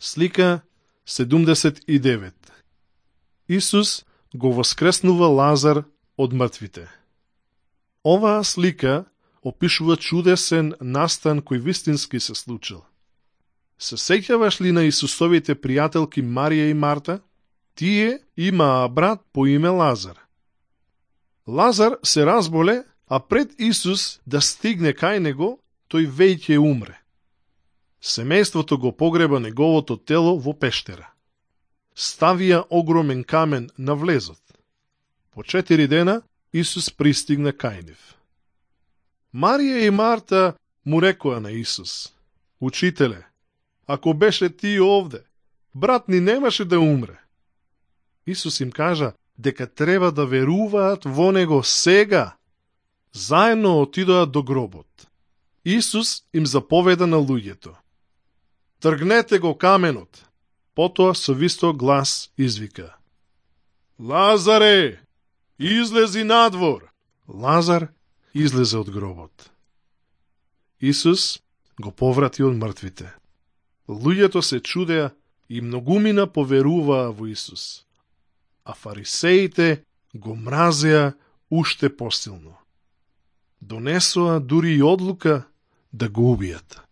Слика 79. Исус го воскреснува Лазар од мртвите. Оваа слика опишува чудесен настан кој вистински се случил. Се сеќаваш ли на Исусовите пријателки Марија и Марта? Тие имаа брат по име Лазар. Лазар се разболе, а пред Исус да стигне кај него, тој веќе умре. Семејството го погреба неговото тело во пештера. Ставија огромен камен на влезот. По 4 дена Исус пристигна кај нив. Марија и Марта му рекоа на Исус: Учителе, ако беше ти овде, брат ни немаше да умре. Исус им кажа дека треба да веруваат во него сега. Заедно отидоа до гробот. Исус им заповеда на луѓето: Тргнете го каменот. Потоа со висток глас извика: Лазаре, излези надвор. Лазар излезе од гробот. Исус го поврати од мртвите. Луѓето се чудеа и многумина поверуваа во Исус, а фарисеите го мразеа уште посилно. Донесоа дури и одлука да го убијат.